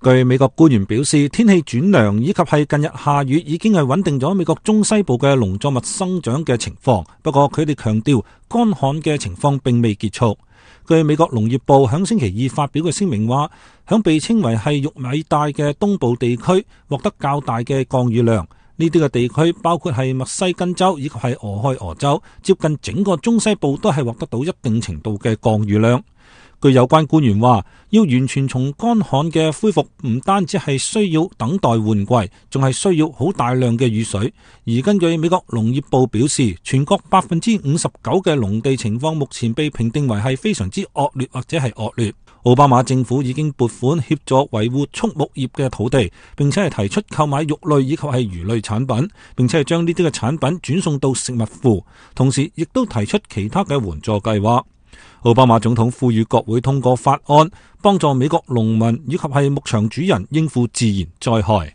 據美國官員表示，天氣轉涼以及係近日下雨已經係穩定咗美國中西部嘅農作物生長嘅情況。不過佢哋強調，乾旱嘅情況並未結束。據美國農業部響星期二發表嘅聲明話，響被稱為係玉米帶嘅東部地區獲得較大嘅降雨量。呢啲嘅地區包括係密西根州以及係俄亥俄州，接近整個中西部都係獲得到一定程度嘅降雨量。據有關官員話，要完全從乾旱嘅恢復，唔單止係需要等待換季，仲係需要好大量嘅雨水。而根據美國農業部表示，全國59%嘅農地情況目前被評定為係非常之惡劣或者係惡劣。奧巴馬政府已經撥款協助維護畜牧業嘅土地，並且係提出購買肉類以及係魚類產品，並且係將呢啲嘅產品轉送到食物庫，同時亦都提出其他嘅援助計劃。奧巴馬總統呼籲國會通過法案，幫助美國農民以及係牧場主人應付自然災害。